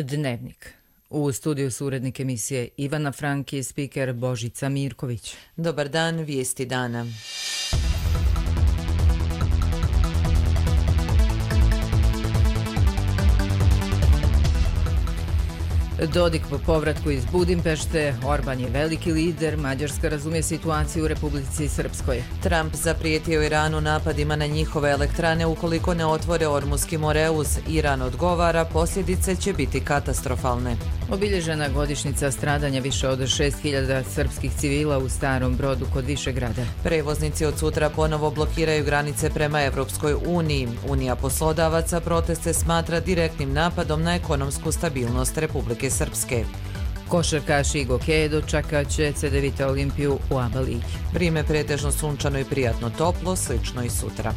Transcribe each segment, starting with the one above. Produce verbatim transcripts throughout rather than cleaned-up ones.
Dnevnik. U studiju su urednik emisije Ivana Frank i spiker Božica Mirković. Dobar dan, vijesti dana. Dodik po povratku iz Budimpešte, Orban je veliki lider, Mađarska razumije situaciju u Republici Srpskoj. Trump zaprijetio Iranu napadima na njihove elektrane ukoliko ne otvore Ormuski moreuz. Iran odgovara, posljedice će biti katastrofalne. Obilježena godišnjica stradanja više od šest hiljada srpskih civila u Starom Brodu kod Višegrada. Prevoznici od sutra ponovo blokiraju granice prema Evropskoj uniji. Unija poslodavaca proteste smatra direktnim napadom na ekonomsku stabilnost Republike Srpske. Košarkaš Igo Keje dočekat će C D Vita Olimpiju u A B A ligi. Vrijeme pretežno sunčano i prijatno toplo, slično i sutra.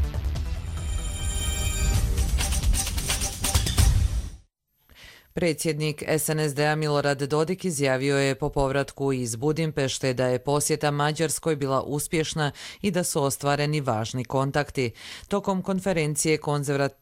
Predsjednik S N S D-a Milorad Dodik izjavio je po povratku iz Budimpešte da je posjeta Mađarskoj bila uspješna i da su ostvareni važni kontakti. Tokom konferencije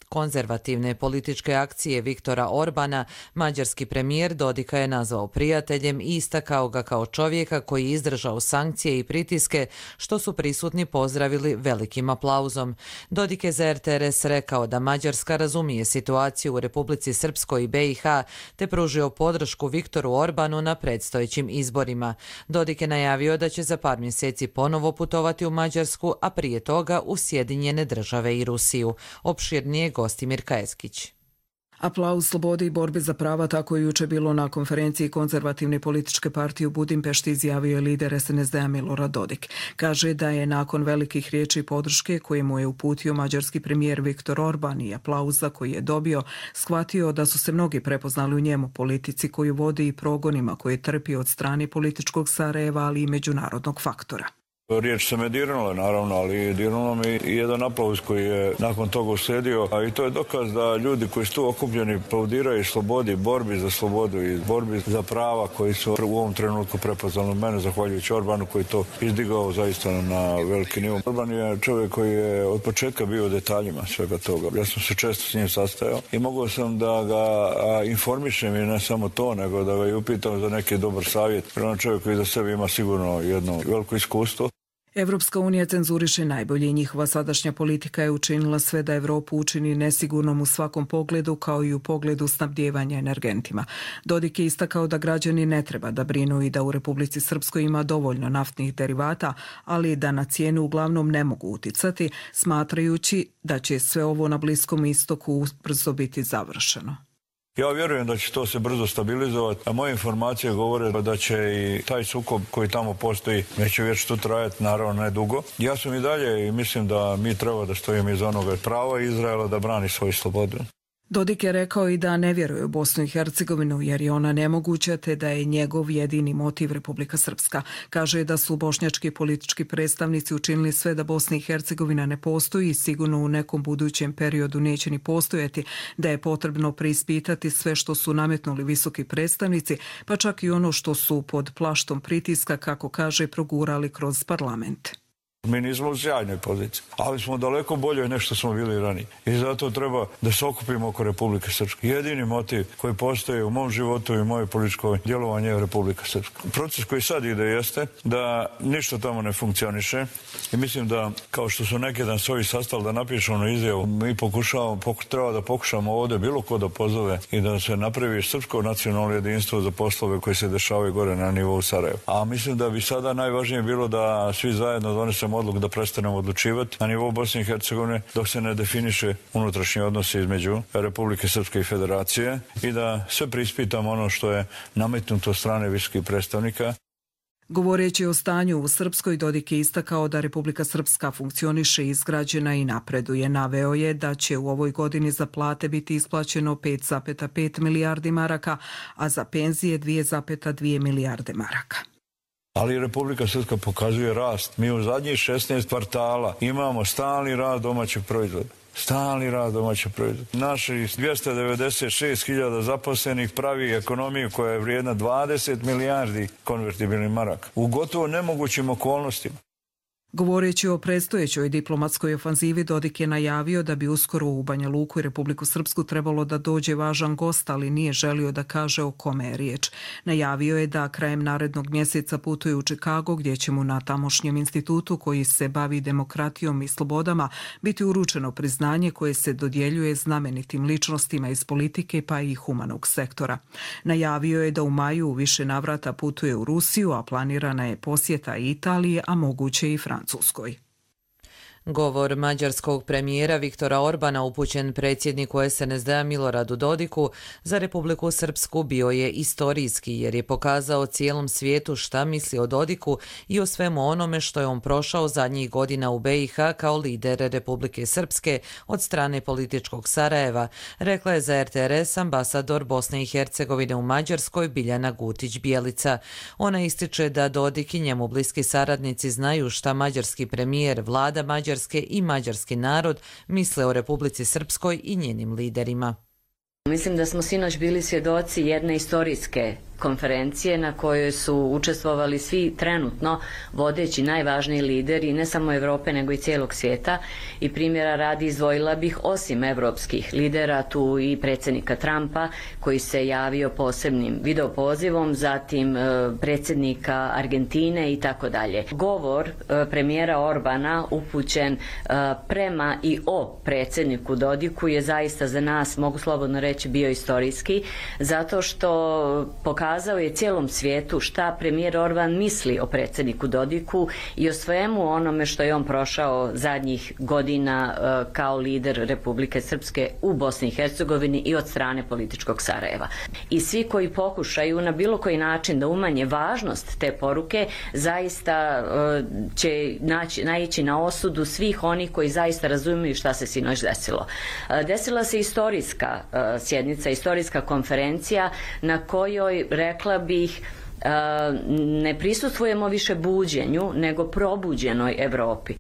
konzervativne političke akcije Viktora Orbana, mađarski premijer Dodika je nazvao prijateljem i istakao ga kao čovjeka koji je izdržao sankcije i pritiske, što su prisutni pozdravili velikim aplauzom. Dodik je za R T R S rekao da Mađarska razumije situaciju u Republici Srpskoj i B i H, te pružio podršku Viktoru Orbanu na predstojećim izborima. Dodik je najavio da će za par mjeseci ponovo putovati u Mađarsku, a prije toga u Sjedinjene Države i Rusiju. Opširnije Gostimir Kajeskić. Aplauz slobode i borbe za prava, tako je juče bilo na konferenciji konzervativne političke partije u Budimpešti, izjavio je lider S N S D-a Milorad Dodik. Kaže da je nakon velikih riječi podrške koje mu je uputio mađarski premijer Viktor Orban i aplauza koji je dobio, shvatio da su se mnogi prepoznali u njemu, politici koju vodi i progonima koje trpi od strane političkog Sarajeva, ali i međunarodnog faktora. Riječ se me dirnula, naravno, ali dirnulo mi i jedan aplauz koji je nakon toga uslijedio, a i to je dokaz da ljudi koji su tu okupljeni aplaudiraju slobodi, borbi za slobodu i borbi za prava koji su u ovom trenutku prepoznali mene, zahvaljujući Orbanu koji to izdigao zaista na veliki nivo. Orban je čovjek koji je od početka bio u detaljima svega toga. Ja sam se često s njim sastajao i mogao sam da ga informišem i ne samo to, nego da ga i upitam za neki dobar savjet. Prema čovjek koji za sebe ima sigurno jedno veliko iskustvo. Evropska unija cenzuriše najbolje i njihova sadašnja politika je učinila sve da Evropu učini nesigurnom u svakom pogledu, kao i u pogledu snabdijevanja energentima. Dodik je istakao da građani ne treba da brinu i da u Republici Srpskoj ima dovoljno naftnih derivata, ali da na cijenu uglavnom ne mogu uticati, smatrajući da će sve ovo na Bliskom istoku brzo biti završeno. Ja vjerujem da će to se brzo stabilizovati, a moje informacije govore da će i taj sukob koji tamo postoji neće već tu trajati, naravno ne dugo. Ja sam i dalje i mislim da mi treba da stojimo iza onoga prava Izraela da brani svoju slobodu. Dodik je rekao i da ne vjeruje u Bosnu i Hercegovinu jer je ona nemoguća, te da je njegov jedini motiv Republika Srpska. Kaže da su bošnjački politički predstavnici učinili sve da Bosna i Hercegovina ne postoji i sigurno u nekom budućem periodu neće ni postojati, da je potrebno preispitati sve što su nametnuli visoki predstavnici, pa čak i ono što su pod plaštom pritiska, kako kaže, progurali kroz parlament. Mi nismo u sjajnoj poziciji, ali smo daleko bolje nego što smo bili ranije. I zato treba da se okupimo oko Republike Srpske. Jedini motiv koji postoji u mom životu i moje političko djelovanje je Republika Srpska. Proces koji sad ide jeste da ništa tamo ne funkcioniše i mislim da, kao što su neki dan svoji sastali da napišu onu izjavu, mi pokušavamo, poku, treba da pokušamo ovdje bilo ko da pozove i da se napravi srpsko nacionalno jedinstvo za poslove koji se dešavaju gore na nivou Sarajeva. A mislim da bi sada najvažnije bilo da svi zajedno donesemo odluku da prestanemo odlučivati na nivou Bosne i Hercegovine dok se ne definiše unutrašnji odnosi između Republike Srpske i Federacije i da sve preispitamo ono što je nametnuto od strane visokih predstavnika. Govoreći o stanju u Srpskoj, Dodik je istakao da Republika Srpska funkcioniše, izgrađena i napreduje. Naveo je da će u ovoj godini za plate biti isplaćeno pet zarez pet milijardi maraka, a za penzije dvije zarez dvije milijarde maraka. Ali Republika Srpska pokazuje rast. Mi u zadnjih šesnaest kvartala imamo stalni rast domaćeg proizvoda. Stalni rast domaćeg proizvoda. Naših dvjesto devedeset šest hiljada zaposlenih pravi ekonomiju koja je vrijedna dvadeset milijardi konvertibilnih maraka. U gotovo nemogućim okolnostima. Govoreći o predstojećoj diplomatskoj ofanzivi, Dodik je najavio da bi uskoro u Banja Luku i Republiku Srpsku trebalo da dođe važan gost, ali nije želio da kaže o kome je riječ. Najavio je da krajem narednog mjeseca putuje u Čikago, gdje će mu na tamošnjem institutu koji se bavi demokratijom i slobodama biti uručeno priznanje koje se dodjeljuje znamenitim ličnostima iz politike pa i humanog sektora. Najavio je da u maju u više navrata putuje u Rusiju, a planirana je posjeta Italije, a moguće i Francuskoj. Govor mađarskog premijera Viktora Orbana upućen predsjedniku es en es de-a Miloradu Dodiku za Republiku Srpsku bio je istorijski jer je pokazao cijelom svijetu šta misli o Dodiku i o svemu onome što je on prošao zadnjih godina u be i ha kao lider Republike Srpske od strane političkog Sarajeva, rekla je za er te er es ambasador Bosne i Hercegovine u Mađarskoj Biljana Gutić-Bjelica. Ona ističe da Dodik i njemu bliski saradnici znaju šta mađarski premijer, vlada Mađarske i mađarski narod misle o Republici Srpskoj i njenim liderima. Mislim da smo sinoć bili svjedoci jedne istorijske konferencije na kojoj su učestvovali svi trenutno vodeći najvažniji lideri ne samo Europe nego i cijelog svijeta i primjera radi izdvojila bih osim evropskih lidera tu i predsjednika Trumpa koji se javio posebnim videopozivom, zatim predsjednika Argentine i tako dalje. Govor premijera Orbana upućen prema i o predsjedniku Dodiku je zaista za nas, mogu slobodno reći, bio istorijski zato što pokazuje Pokazao je cijelom svijetu šta premijer Orban misli o predsjedniku Dodiku i o svemu onome što je on prošao zadnjih godina kao lider Republike Srpske u Bosni i Hercegovini i od strane političkog Sarajeva. I svi koji pokušaju na bilo koji način da umanje važnost te poruke zaista će naći, naići na osudu svih onih koji zaista razumiju šta se sinoć desilo. Desila se istorijska sjednica, istorijska konferencija na kojoj rekla bih, ne prisustvujemo više buđenju, nego probuđenoj Europi.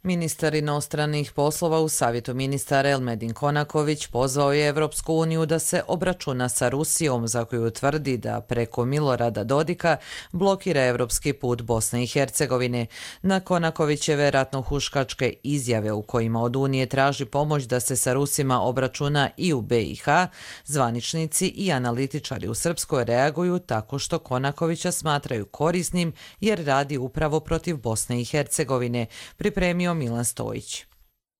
Ministar inostranih poslova u Savjetu ministara Elmedin Konaković pozvao je Evropsku uniju da se obračuna sa Rusijom, za koju tvrdi da preko Milorada Dodika blokira evropski put Bosne i Hercegovine. Na Konakovićeve ratnohuškačke izjave u kojima od Unije traži pomoć da se sa Rusima obračuna i u be i ha, zvaničnici i analitičari u Srpskoj reaguju tako što Konakovića smatraju korisnim jer radi upravo protiv Bosne i Hercegovine, pripremio Milan Stojić.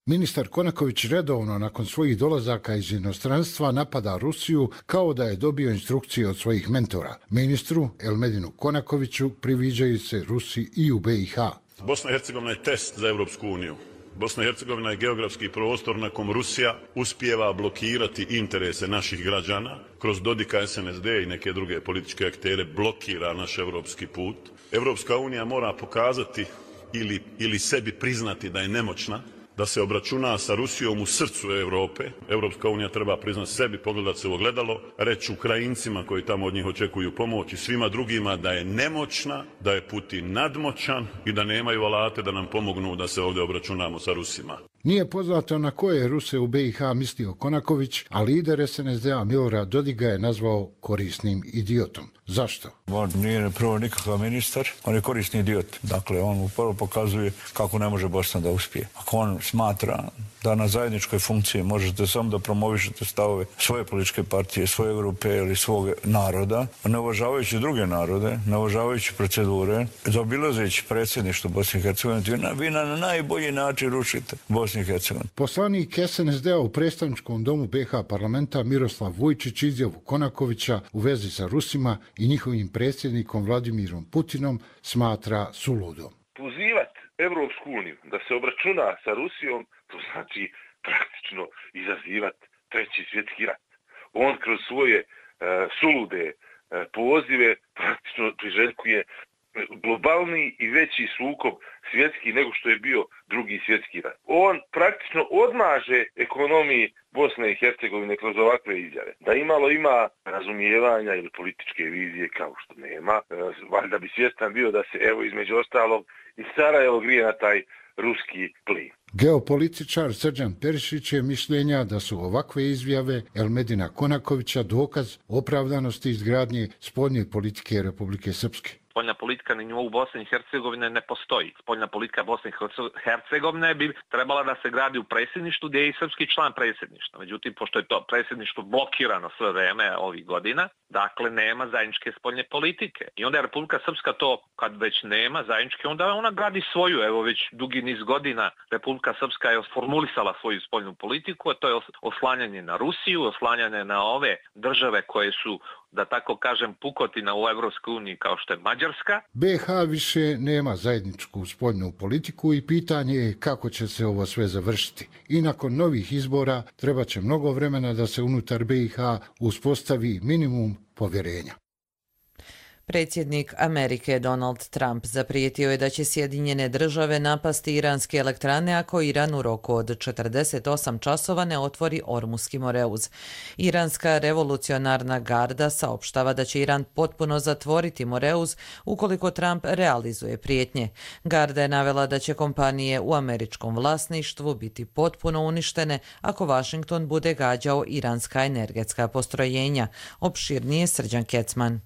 Ministar Konaković redovno nakon svojih dolazaka iz inostranstva napada Rusiju kao da je dobio instrukcije od svojih mentora. Ministru Elmedinu Konakoviću priviđaju se Rusi i u be i ha. Bosna i Hercegovina je test za Evropsku uniju. Bosna i Hercegovina je geografski prostor na kom Rusija uspijeva blokirati interese naših građana. Kroz Dodika, es en es de i neke druge političke aktere blokira naš evropski put. Evropska unija mora pokazati Ili, ili sebi priznati da je nemoćna, da se obračuna sa Rusijom u srcu Europe. Evropska unija treba priznati sebi, pogledati se u ogledalo, reći Ukrajincima koji tamo od njih očekuju pomoć i svima drugima da je nemoćna, da je Putin nadmoćan i da nemaju alate da nam pomognu da se ovdje obračunamo sa Rusima. Nije poznato na koje Ruse u be i ha mislio Konaković, a lider es en es de-a Milorad Dodik ga je nazvao korisnim idiotom. Zašto? On nije prvo nikakav ministar, on je korisni idiot. Dakle, on upravo pokazuje kako ne može Bosna da uspije. Ako on smatra da na zajedničkoj funkciji možete samo da promovišete stavove svoje političke partije, svoje grupe ili svog naroda, ne uvažavajući druge narode, ne uvažavajući procedure, zaobilazeći predsjedništvo Bosne i Hercegovine, vi na najbolji način rušite Bosnu i Hercegovinu. Poslanik es en es de-a u predstavničkom domu be ha parlamenta Miroslav Vujčić izjavu Konakovića u vezi sa Rusima i njihovim predsjednikom Vladimirom Putinom smatra suludom. Pozivati Evropsku uniju da se obračuna sa Rusijom, to znači praktično izazivati treći svjetski rat. On kroz svoje e, sulude e, pozive praktično priželjkuje globalni i veći sukob svjetski nego što je bio drugi svjetski rat. On praktično odmaže ekonomiji Bosne i Hercegovine kroz ovakve izjave. Da imalo ima razumijevanja ili političke vizije kao što nema, valjda bi svjestan bio da se evo između ostalog i Sarajevo grije na taj ruski plin. Geopolitičar Srđan Perišić je mišljenja da su ovakve izjave Elmedina Konakovića dokaz opravdanosti izgradnje spoljne politike Republike Srpske. spoljna politika na nivou Bosne i Hercegovine ne postoji. Spoljna politika Bosne i Hercegovine bi trebala da se gradi u predsjedništvu gdje je i srpski član predsjedništva. Međutim, pošto je to predsjedništvo blokirano sve vreme ovih godina, dakle nema zajedničke spoljne politike. I onda je Republika Srpska to, kad već nema zajedničke, onda ona gradi svoju. Evo već dugi niz godina Republika Srpska je formulisala svoju spoljnu politiku, a to je oslanjanje na Rusiju, oslanjanje na ove države koje su, da tako kažem, pukotina u Evropskoj uniji kao što je Mađarska. B H više nema zajedničku spoljnu politiku i pitanje je kako će se ovo sve završiti. I nakon novih izbora treba će mnogo vremena da se unutar B i H uspostavi minimum povjerenja. Predsjednik Amerike Donald Trump zaprijetio je da će Sjedinjene države napasti iranske elektrane ako Iran u roku od četrdeset osam časova ne otvori Ormuski Moreuz. Iranska revolucionarna garda saopštava da će Iran potpuno zatvoriti Moreuz ukoliko Trump realizuje prijetnje. Garda je navela da će kompanije u američkom vlasništvu biti potpuno uništene ako Washington bude gađao iranska energetska postrojenja. Opširnije Srđan Kecman.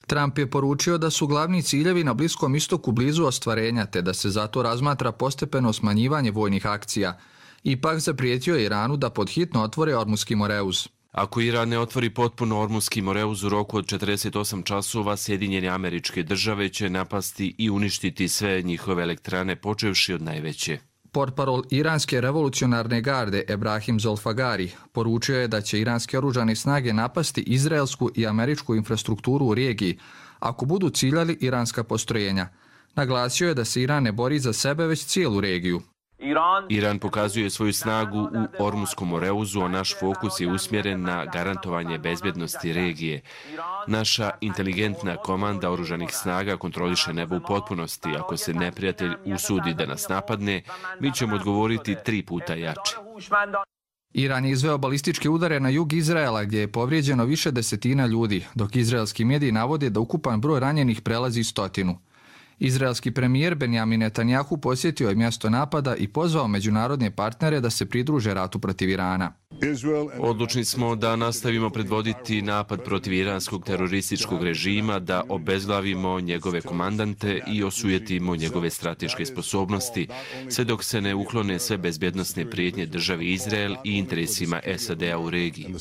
Trump je poručio da su glavni ciljevi na Bliskom istoku blizu ostvarenja, te da se zato razmatra postepeno smanjivanje vojnih akcija. Ipak zaprijetio je Iranu da podhitno otvore Ormuski Moreuz. Ako Iran ne otvori potpuno Ormuski Moreuz u roku od četrdeset osam časova, Sjedinjene Američke Države će napasti i uništiti sve njihove elektrane, počevši od najveće. Portparol Iranske revolucionarne garde Ebrahim Zolfagari poručio je da će iranske oružane snage napasti izraelsku i američku infrastrukturu u regiji ako budu ciljali iranska postrojenja. Naglasio je da se Iran ne bori za sebe, već cijelu regiju. Iran pokazuje svoju snagu u Ormuskom Moreuzu, a naš fokus je usmjeren na garantovanje bezbjednosti regije. Naša inteligentna komanda oružanih snaga kontroliše nebo u potpunosti. Ako se neprijatelj usudi da nas napadne, mi ćemo odgovoriti tri puta jače. Iran je izveo balističke udare na jug Izraela gdje je povrijeđeno više desetina ljudi, dok izraelski mediji navode da ukupan broj ranjenih prelazi stotinu. Izraelski premijer Benjamin Netanjahu posjetio je mjesto napada i pozvao međunarodne partnere da se pridruže ratu protiv Irana. Odlučni smo da nastavimo predvoditi napad protiv iranskog terorističkog režima, da obezglavimo njegove komandante i osujetimo njegove strateške sposobnosti, sve dok se ne uklone sve bezbjednosne prijetnje državi Izrael i interesima S A D-a u regiji.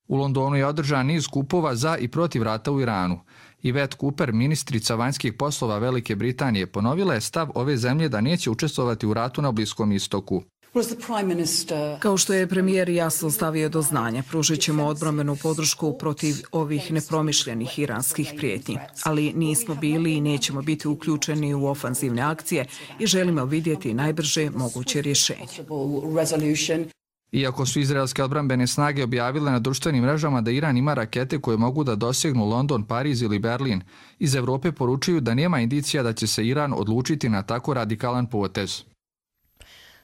U Londonu je održan niz skupova za i protiv rata u Iranu. Yvette Cooper, ministrica vanjskih poslova Velike Britanije, ponovila je stav ove zemlje da neće učestvovati u ratu na Bliskom istoku. Kao što je premijer jasno stavio do znanja, pružit ćemo odbrambenu podršku protiv ovih nepromišljenih iranskih prijetnji. Ali nismo bili i nećemo biti uključeni u ofanzivne akcije i želimo vidjeti najbrže moguće rješenje. Iako su izraelske odbrambene snage objavile na društvenim mrežama da Iran ima rakete koje mogu da dosegnu London, Pariz ili Berlin, iz Evrope poručuju da nema indicija da će se Iran odlučiti na tako radikalan potez.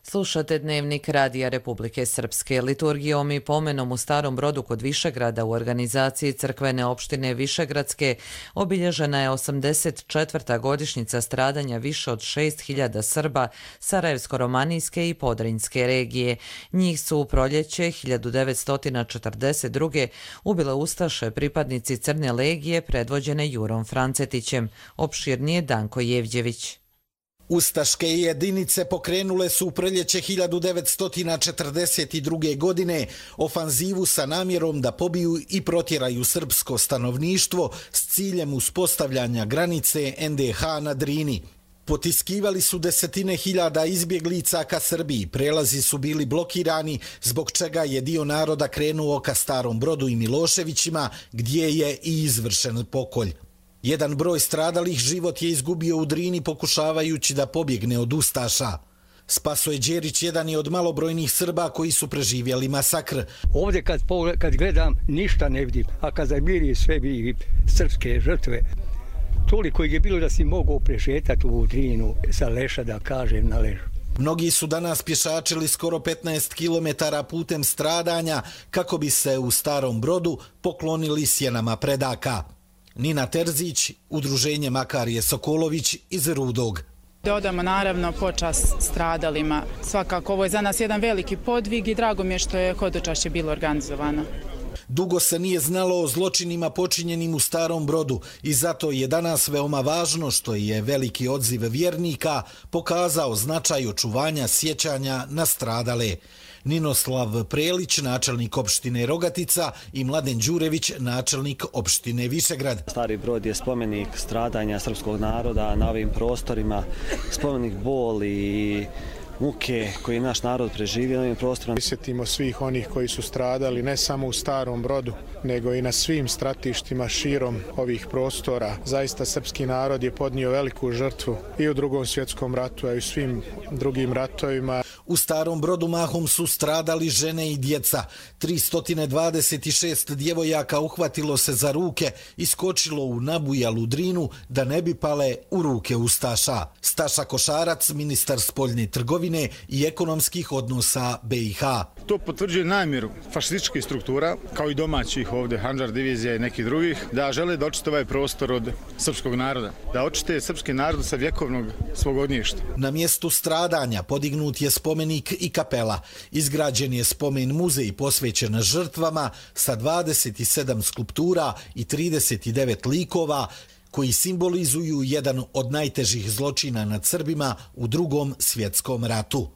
Slušate Dnevnik Radija Republike Srpske. Liturgijom i pomenom u Starom Brodu kod Višegrada u organizaciji crkvene opštine Višegradske obilježena je osamdeset četvrta godišnjica stradanja više od šest hiljada Srba Sarajevsko-romanijske i Podrinjske regije. Njih su u proljeće hiljadu devetsto četrdeset druge ubile ustaše pripadnici Crne legije predvođene Jurom Francetićem. Opširnije Danko Jevđević. Ustaške jedinice pokrenule su u proljeće hiljadu devetsto četrdeset druge. godine ofanzivu sa namjerom da pobiju i protjeraju srpsko stanovništvo s ciljem uspostavljanja granice N D H na Drini. Potiskivali su desetine hiljada izbjeglica ka Srbiji, prelazi su bili blokirani, zbog čega je dio naroda krenuo ka Starom Brodu i Miloševićima, gdje je i izvršen pokolj. Jedan broj stradalih život je izgubio u Drini pokušavajući da pobjegne od ustaša. Spasoje Đerić jedan je od malobrojnih Srba koji su preživjeli masakr. Ovdje kad, kad gledam ništa ne vidim, a kad zamiri sve bi srpske žrtve, toliko je bilo da si mogao prešetati u Drinu sa leša, da kažem, na ležu. Mnogi su danas pješačili skoro petnaest kilometara putem stradanja kako bi se u Starom Brodu poklonili sjenama predaka. Nina Terzić, udruženje Makarije Sokolović iz Rudog. Da odamo naravno počast stradalima. Svakako ovo je za nas jedan veliki podvig i drago mi je što je hodočašće bilo organizovano. Dugo se nije znalo o zločinima počinjenim u Starom Brodu i zato je danas veoma važno što je veliki odziv vjernika pokazao značaj očuvanja sjećanja na stradale. Ninoslav Prelić, načelnik opštine Rogatica, i Mladen Đurević, načelnik opštine Višegrad. Stari Brod je spomenik stradanja srpskog naroda na ovim prostorima, spomenik boli i muke koji je naš narod preživio na ovim prostorima. Sjetimo svih onih koji su stradali ne samo u Starom Brodu, nego i na svim stratištima širom ovih prostora. Zaista srpski narod je podnio veliku žrtvu i u Drugom svjetskom ratu, a i u svim drugim ratovima. U Starom Brodu mahom su stradali žene i djeca. tristo dvadeset šest djevojaka uhvatilo se za ruke i skočilo u nabujalu drinu da ne bi pale u ruke ustaša. Staša Košarac, ministar spoljne trgovine i ekonomskih odnosa be i ha. To potvrđuje namjeru fašističkih struktura, kao i domaćih ovdje, Handžar divizija i nekih drugih, da žele da očite ovaj prostor od srpskog naroda, da očite srpski narod sa vjekovnog svog ognjišta. Na mjestu stradanja podignut je spomenik i kapela. Izgrađen je spomen muzej posvećen žrtvama sa dvadeset sedam skulptura i trideset devet likova koji simbolizuju jedan od najtežih zločina nad Srbima u Drugom svjetskom ratu.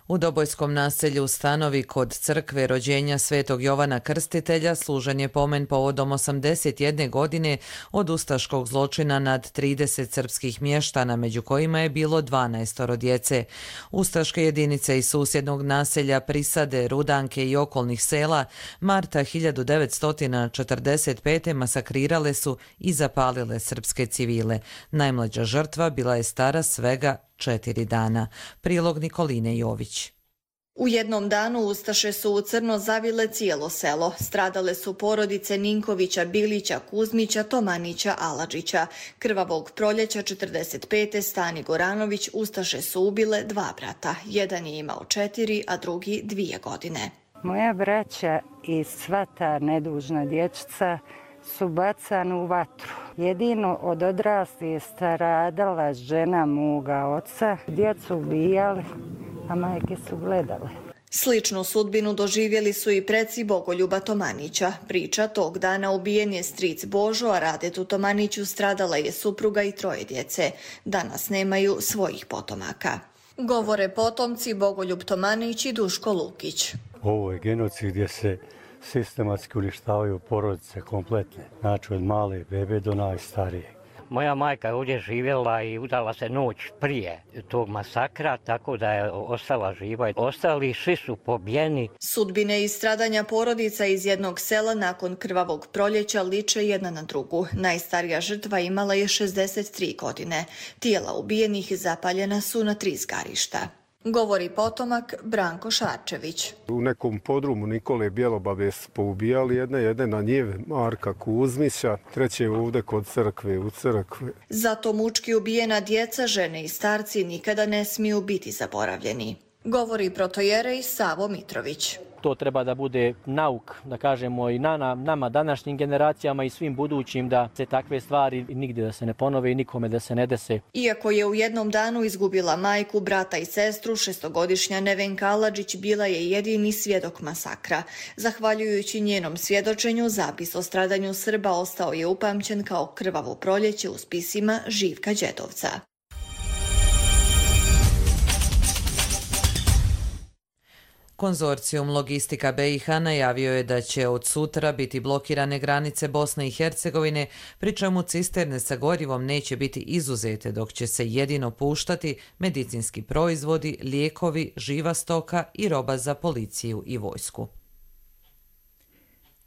U Dobojskom naselju Stanovi kod crkve rođenja Svetog Jovana Krstitelja služen je pomen povodom osamdeset jedne godine od ustaškog zločina nad trideset srpskih mještana, među kojima je bilo dvanaestoro djece. Ustaške jedinice iz susjednog naselja Prisade, Rudanke i okolnih sela marta hiljadu devetsto četrdeset pete masakrirale su i zapalile srpske civile. Najmlađa žrtva bila je stara svega četiri dana. Prilog Nikoline Jović. U jednom danu ustaše su u crno zavile cijelo selo. Stradale su porodice Ninkovića, Bilića, Kuzmića, Tomanića, Aladžića. Krvavog proljeća četrdeset pete Stani Goranović ustaše su ubile dva brata. Jedan je imao četiri, a drugi dvije godine. Moja braća i sva ta nedužna dječica su bacani u vatru. Jedino od odrasli je stradala žena moga oca. Djecu ubijali, a majke su gledale. Sličnu sudbinu doživjeli su i preci Bogoljuba Tomanića. Priča, tog dana ubijen je stric Božo, a Radetu Tomaniću stradala je supruga i troje djece. Danas nemaju svojih potomaka. Govore potomci Bogoljub Tomanić i Duško Lukić. Ovo je genocid gdje se sistematski uništavaju porodice kompletne, znači od male bebe do najstarije. Moja majka je ovdje živjela i udala se noć prije tog masakra, tako da je ostala živa. Ostali svi su pobijeni. Sudbine i stradanja porodica iz jednog sela nakon krvavog proljeća liče jedna na drugu. Najstarija žrtva imala je šezdeset tri godine. Tijela ubijenih zapaljena su na tri zgarišta. Govori potomak Branko Šarčević. U nekom podrumu Nikole Bjelobave su poubijali jedne, jedne na njive Marka Kuzmića, treće ovdje kod crkve, u crkve. Zato mučki ubijena djeca, žene i starci nikada ne smiju biti zaboravljeni. Govori protojerej Savo Mitrović. To treba da bude nauk, da kažemo, i na, nama današnjim generacijama i svim budućim, da se takve stvari nigdje da se ne ponove i nikome da se ne dese. Iako je u jednom danu izgubila majku, brata i sestru, šestogodišnja Nevenka Aladžić bila je jedini svjedok masakra. Zahvaljujući njenom svjedočenju, zapis o stradanju Srba ostao je upamćen kao krvavo proljeće u spisima Živka Đedovca. Konzorcijum Logistika be i ha najavio je da će od sutra biti blokirane granice Bosne i Hercegovine, pri čemu cisterne sa gorivom neće biti izuzete, dok će se jedino puštati medicinski proizvodi, lijekovi, živa stoka i roba za policiju i vojsku.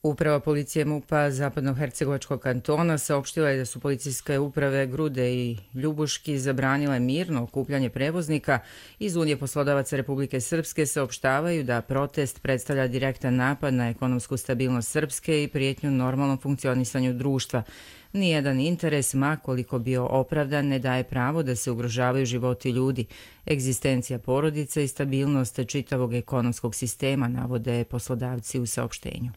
Uprava policije MUP-a Zapadnohercegovačkog kantona saopštila je da su policijske uprave Grude i Ljubuški zabranile mirno okupljanje prevoznika. Iz Unije poslodavaca Republike Srpske saopštavaju da protest predstavlja direktan napad na ekonomsku stabilnost Srpske i prijetnju normalnom funkcionisanju društva. Nijedan interes, ma koliko bio opravdan, ne daje pravo da se ugrožavaju životi ljudi, egzistencija porodice i stabilnost čitavog ekonomskog sistema, navode poslodavci u saopštenju.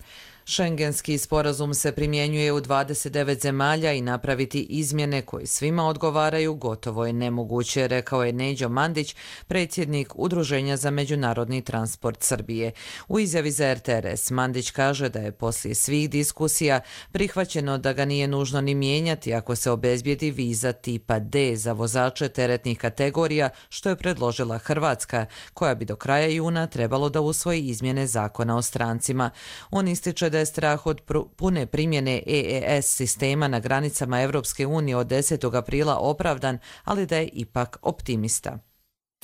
Šengenski sporazum se primjenjuje u dvadeset devet zemalja i napraviti izmjene koje svima odgovaraju gotovo je nemoguće, rekao je Neđo Mandić, predsjednik Udruženja za međunarodni transport Srbije. U izjavi za R T R S Mandić kaže da je poslije svih diskusija prihvaćeno da ga nije nužno ni mijenjati ako se obezbijedi viza tipa D za vozače teretnih kategorija, što je predložila Hrvatska, koja bi do kraja juna trebalo da usvoji izmjene zakona o strancima. On ističe da je strah od pune primjene E E S sistema na granicama Evropske unije od desetog aprila opravdan, ali da je ipak optimista.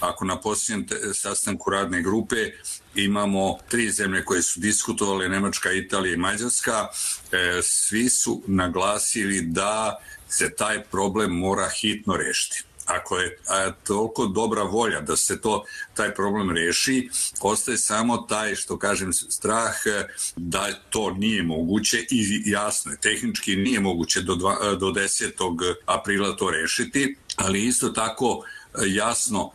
Ako na posljednjem sastanku radne grupe imamo tri zemlje koje su diskutovale, Nemačka, Italija i Mađarska, svi su naglasili da se taj problem mora hitno rešiti. Ako je a, toliko dobra volja da se to taj problem reši, ostaje samo taj, što kažem, strah da to nije moguće i jasno je, tehnički nije moguće do, dva, do desetog aprila to rešiti, ali isto tako jasno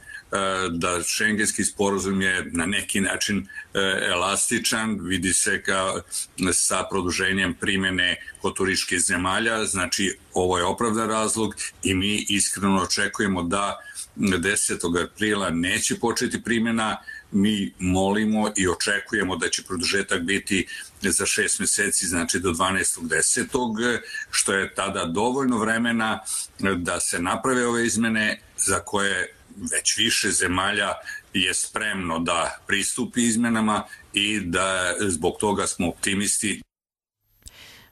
da šengenski sporazum je na neki način elastičan, vidi se ka, sa produženjem primjene kod turističkih zemalja, znači ovo je opravdan razlog i mi iskreno očekujemo da desetog aprila neće početi primjena. Mi molimo i očekujemo da će produžetak biti za šest mjeseci, znači do dvanaestog desetog što je tada dovoljno vremena da se naprave ove izmene za koje već više zemalja je spremno da pristupi izmenama i da zbog toga smo optimisti.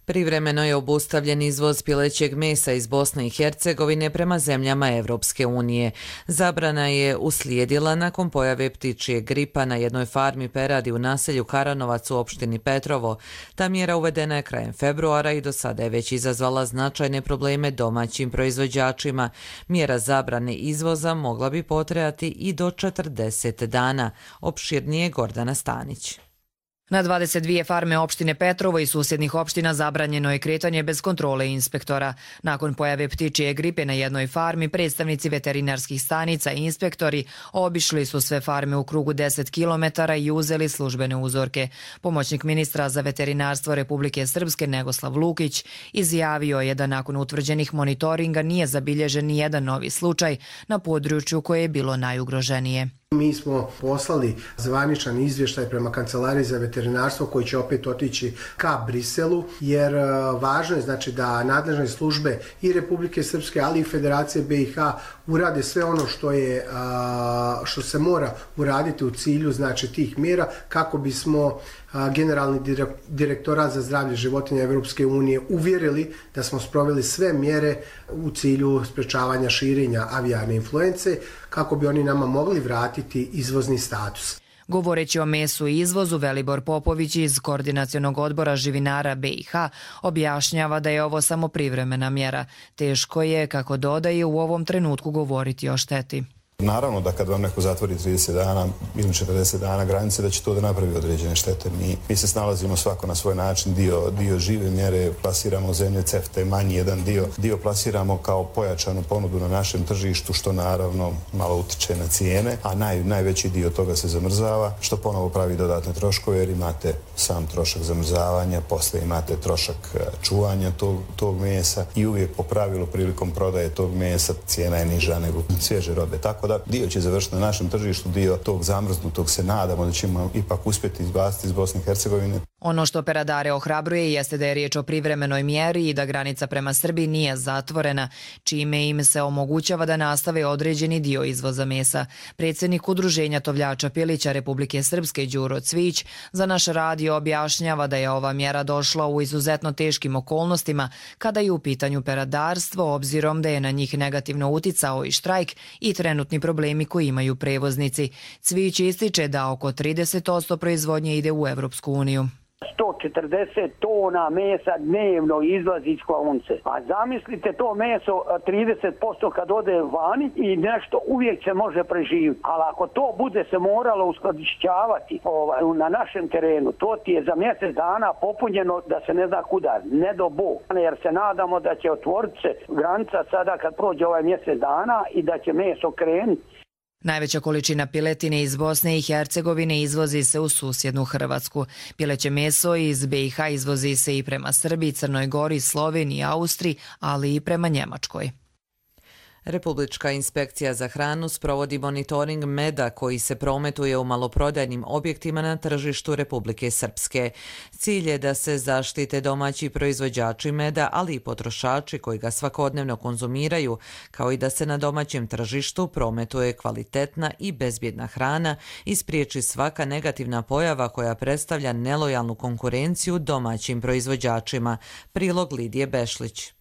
Privremeno je obustavljen izvoz pilećeg mesa iz Bosne i Hercegovine prema zemljama Evropske unije. Zabrana je uslijedila nakon pojave ptičjeg gripa na jednoj farmi peradi u naselju Karanovac u opštini Petrovo. Ta mjera uvedena je krajem februara i do sada je već izazvala značajne probleme domaćim proizvođačima. Mjera zabrane izvoza mogla bi potrajati i do četrdeset dana. Opširnije Gordana Stanić. Na dvadeset dvije farme opštine Petrovo i susjednih opština zabranjeno je kretanje bez kontrole inspektora. Nakon pojave ptičje gripe na jednoj farmi, predstavnici veterinarskih stanica i inspektori obišli su sve farme u krugu deset kilometara i uzeli službene uzorke. Pomoćnik ministra za veterinarstvo Republike Srpske Negoslav Lukić izjavio je da nakon utvrđenih monitoringa nije zabilježen ni jedan novi slučaj na području koje je bilo najugroženije. Mi smo poslali zvaničan izvještaj prema Kancelariji za veterinarstvo koji će opet otići ka Briselu, jer važno je znači da nadležne službe i Republike Srpske, ali i Federacije B i H urade sve ono što je što se mora uraditi u cilju znači tih mjera kako bismo Generalni direktorat za zdravlje životinja Evropske unije uvjerili da smo sproveli sve mjere u cilju sprečavanja širenja avijarne influence kako bi oni nama mogli vratiti izvozni status. Govoreći o mesu i izvozu, Velibor Popović iz Koordinacionog odbora živinara B i H objašnjava da je ovo samo privremena mjera. Teško je, kako dodaje, u ovom trenutku govoriti o šteti. Naravno da kad vam neko zatvori trideset dana ili četrdeset dana granice, da će to da napravi određene štete. Mi, mi se snalazimo svako na svoj način, dio, dio žive mjere plasiramo zemlje C E F T A, manji jedan dio, dio plasiramo kao pojačanu ponudu na našem tržištu, što naravno malo utiče na cijene, a naj, najveći dio toga se zamrzava, što ponovo pravi dodatne troškove, jer imate sam trošak zamrzavanja, posle imate trošak čuvanja tog, tog mesa i uvijek po pravilu prilikom prodaje tog mesa cijena je niža nego svježe robe. Tako da dio će završiti na našem tržištu, dio tog zamrznutog se nadamo da ćemo ipak uspjeti izbaciti iz Bosne i Hercegovine. Ono što peradare ohrabruje jeste da je riječ o privremenoj mjeri i da granica prema Srbiji nije zatvorena, čime im se omogućava da nastave određeni dio izvoza mesa. Predsjednik Udruženja tovljača pilića Republike Srpske Đuro Cvić za naš radio objašnjava da je ova mjera došla u izuzetno teškim okolnostima kada je u pitanju peradarstvo, obzirom da je na njih negativno uticao i štrajk i trenutni problemi koji imaju prevoznici. Cvić ističe da oko trideset posto proizvodnje ide u Evropsku uniju. sto četrdeset tona mesa dnevno izlazi iz klaonice. A zamislite to meso trideset posto kad ode vani i nešto uvijek se može preživiti. Ali ako to bude se moralo uskladišćavati ovaj, na našem terenu, to ti je za mjesec dana popunjeno da se ne zna kuda, ne do Bog. Jer se nadamo da će otvoriti se granica sada kad prođe ovaj mjesec dana i da će meso krenuti. Najveća količina piletine iz Bosne i Hercegovine izvozi se u susjednu Hrvatsku. Pileće meso iz B i H izvozi se i prema Srbiji, Crnoj Gori, Sloveniji, Austriji, ali i prema Njemačkoj. Republička inspekcija za hranu sprovodi monitoring meda koji se prometuje u maloprodajnim objektima na tržištu Republike Srpske. Cilj je da se zaštite domaći proizvođači meda, ali i potrošači koji ga svakodnevno konzumiraju, kao i da se na domaćem tržištu prometuje kvalitetna i bezbjedna hrana i spriječi svaka negativna pojava koja predstavlja nelojalnu konkurenciju domaćim proizvođačima. Prilog Lidije Bešlić.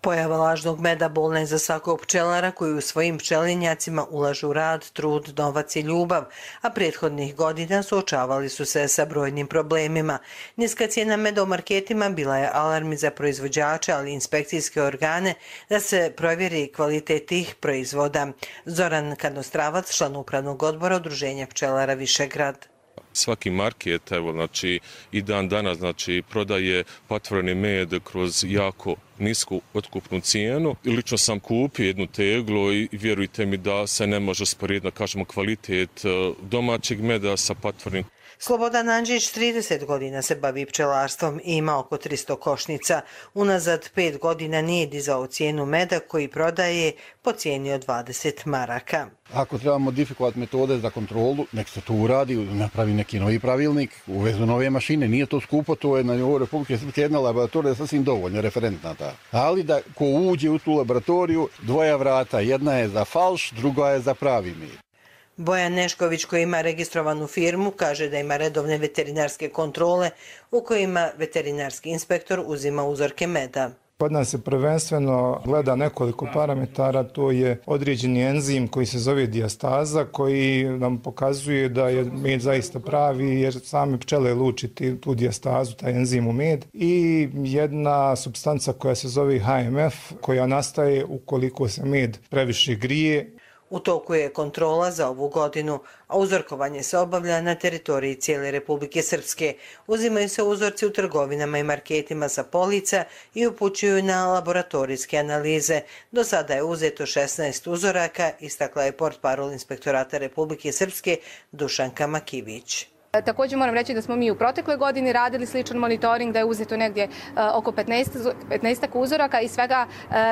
Pojava lažnog meda bolna je za svakog pčelara koji u svojim pčelinjacima ulažu rad, trud, novac i ljubav, a prethodnih godina suočavali su se sa brojnim problemima. Niska cijena meda u marketima bila je alarm za proizvođače, ali i inspekcijske organe da se provjeri kvalitet tih proizvoda. Zoran Kadnostravac, član upravnog odbora Udruženja pčelara Višegrad. Svaki market, evo, znači, i dan danas, znači, prodaje patvoreni med kroz jako nisku otkupnu cijenu. I lično sam kupio jednu teglu i vjerujte mi da se ne može usporediti, kažemo, kvalitet domaćeg meda sa patvorenim. Slobodan Andžić trideset godina se bavi pčelarstvom i ima oko tristo košnica. Unazad pet godina nije dizao cijenu meda koji prodaje po cijeni od dvadeset maraka. Ako treba modifikovati metode za kontrolu, nek se to uradi, napravi neki novi pravilnik, uvezu nove mašine, nije to skupo, to je na nivou Republike Srpske jedna laboratorija sasvim dovoljno, referentna ta. Ali da ko uđe u tu laboratoriju, dvoja vrata, jedna je za falš, druga je za pravi med. Bojan Nešković, koji ima registrovanu firmu, kaže da ima redovne veterinarske kontrole u kojima veterinarski inspektor uzima uzorke meda. Kod nas se prvenstveno gleda nekoliko parametara, to je određeni enzim koji se zove dijastaza, koji nam pokazuje da je med zaista pravi jer same pčele lučiti tu dijastazu, taj enzim u med, i jedna supstanca koja se zove H M F koja nastaje ukoliko se med previše grije. U toku je kontrola za ovu godinu, a uzorkovanje se obavlja na teritoriji cijele Republike Srpske. Uzimaju se uzorci u trgovinama i marketima sa polica i upućuju na laboratorijske analize. Do sada je uzeto šesnaest uzoraka, istakla je portparol Inspektorata Republike Srpske Dušanka Makivić. Također moram reći da smo mi u protekloj godini radili sličan monitoring, da je uzeto negdje oko petnaest uzoraka i svega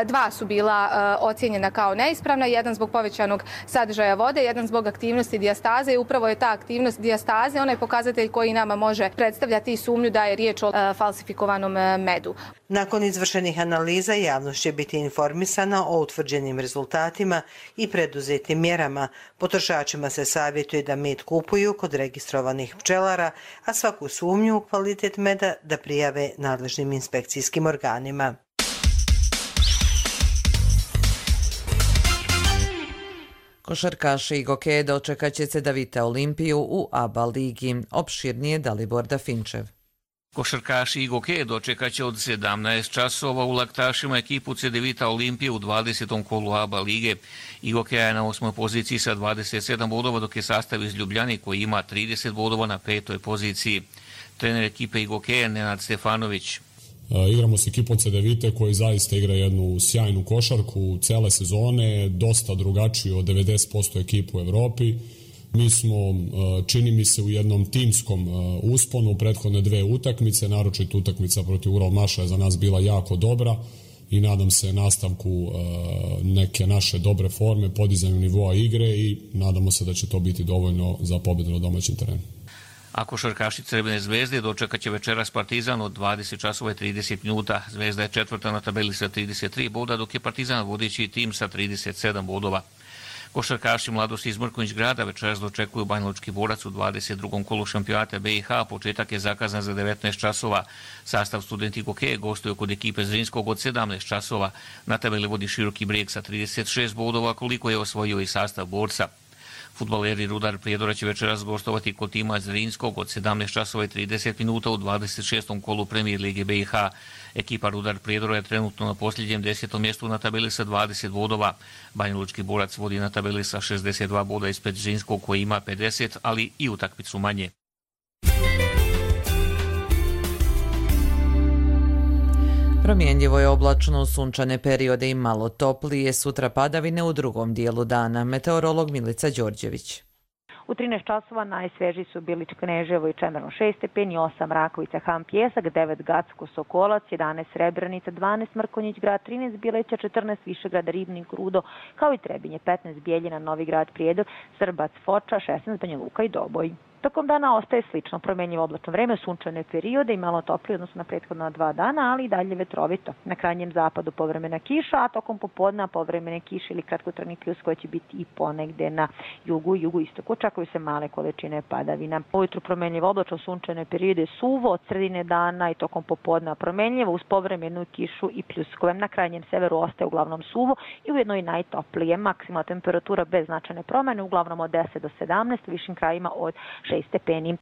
dva su bila ocijenjena kao neispravna, jedan zbog povećanog sadržaja vode, jedan zbog aktivnosti dijastaze i upravo je ta aktivnost dijastaze onaj pokazatelj koji nama može predstavljati sumnju da je riječ o falsifikovanom medu. Nakon izvršenih analiza javnost će biti informisana o utvrđenim rezultatima i preduzetim mjerama. Potrošačima se savjetuje da med kupuju kod registrovanih pčelara, a svaku sumnju u kvalitet meda da prijave nadležnim inspekcijskim organima. Košarkaši i Gokeje dočekat će se da vite Olimpiju u A B A ligi. Opširnije Dalibor Dafinčev. Košarkaši i Gokeje dočekat će od sedamnaest časova u Laktašima ekipu Cedevita Olimpije u dvadesetom kolu A B A lige. I Gokeja je na osmoj poziciji sa dvadeset sedam bodova, dok je sastav iz Ljubljane koji ima trideset bodova na petoj poziciji. Trener ekipe i Gokeje Nenad Stefanović. Igramo s ekipom Cedevite koji zaista igra jednu sjajnu košarku cele sezone, dosta drugačiju od devedeset posto ekipu u Evropi. Mi smo, čini mi se, u jednom timskom usponu u prethodne dve utakmice, naročito utakmica protiv Uralmaša je za nas bila jako dobra i nadam se nastavku neke naše dobre forme, podizanju nivoa igre i nadamo se da će to biti dovoljno za pobjedu na domaćem terenu. A košarkaši Crvene zvezde dočekat će večeras Partizan od dvadeset časova i trideset minuta. Zvezda je četvrta na tabeli sa trideset tri boda, dok je Partizan vodeći tim sa trideset sedam bodova. Košarkaši Mladosti iz Mrkonjić Grada večeras dočekuju Banjalučki Borac u dvadeset drugom kolu šampionata B i H. Početak je zakazan za devetnaest časova. Sastav Studenti Gokeje gostuje kod ekipe Zrinskog od sedamnaest časova. Na tabeli vodi Široki Brijeg sa trideset šest bodova, koliko je osvojio i sastav Borca. Fudbaleri Rudar Prijedora će večeras gostovati kod tima Zrinskog od sedamnaest časova i trideset minuta u dvadeset šestom kolu Premijer Lige B i H. Ekipa Rudar Prijedora je trenutno na posljednjem desetom mjestu na tabeli sa dvadeset bodova. Banjalučki Borac vodi na tabeli sa šezdeset dva boda ispred Zrinskog koji ima pedeset, ali i utakmicu manje. Promjenjivo je oblačno, sunčane periode i malo toplije, sutra padavine u drugom dijelu dana. Meteorolog Milica Đorđević. U trinaest časova najsvežiji su bili Kneževo i Čemerno šest stepeni, osam Rakovica, Han, Pjesak, devet Gacko, Sokolac, jedanaest Srebrenica, dvanaest Mrkonjić Grad, trinaest Bileća, četrnaest Višegrada, Ribnik, Rudo, kao i Trebinje, petnaest Bijeljina, Novi Grad, Prijedor, Srbac, Foča, šesnaest Banja Luka i Doboj. Tokom dana ostaje slično promenjivo oblačno vreme, sunčane periode i malo toplije odnosno na prethodna dva dana, ali i dalje vetrovito. Na krajnjem zapadu povremena kiša, a tokom popodna povremene kiše ili kratkotrajni pljuskovi će biti i ponegde na jugu i jugoistoku. Očekuju se male količine padavina. Ujutru promenjivo oblačno, sunčane periode, suvo od sredine dana i tokom popodna promenjivo uz povremenu kišu i pljuskove. Na krajnjem severu ostaje uglavnom suvo i ujedno i najtoplije. Maksimalna temperatura bez značajne promjene, uglavnom od deset do sedamnaest, u višim krajima od šest stepeni.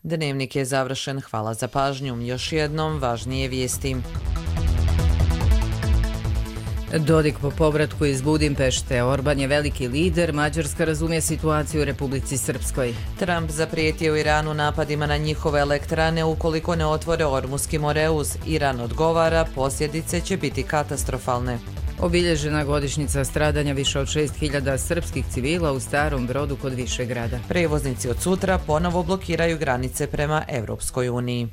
Dnevnik je završen. Hvala za pažnju. Još jednom važnije vijesti. Dodik po povratku iz Budimpešte. Orban je veliki lider. Mađarska razumije situaciju u Republici Srpskoj. Trump zaprijetio Iranu napadima na njihove elektrane ukoliko ne otvore Ormuski moreuz. Iran odgovara, posljedice će biti katastrofalne. Obilježena godišnjica stradanja više od šest hiljada srpskih civila u Starom Brodu kod Višegrada. Prevoznici od sutra ponovo blokiraju granice prema Evropskoj uniji.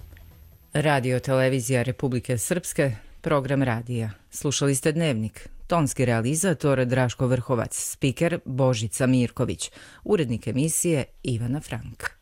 Radio televizija Republike Srpske, program radija. Slušali ste Dnevnik. Tonski realizator Draško Vrhovac, spiker Božica Mirković, urednik emisije Ivana Frank.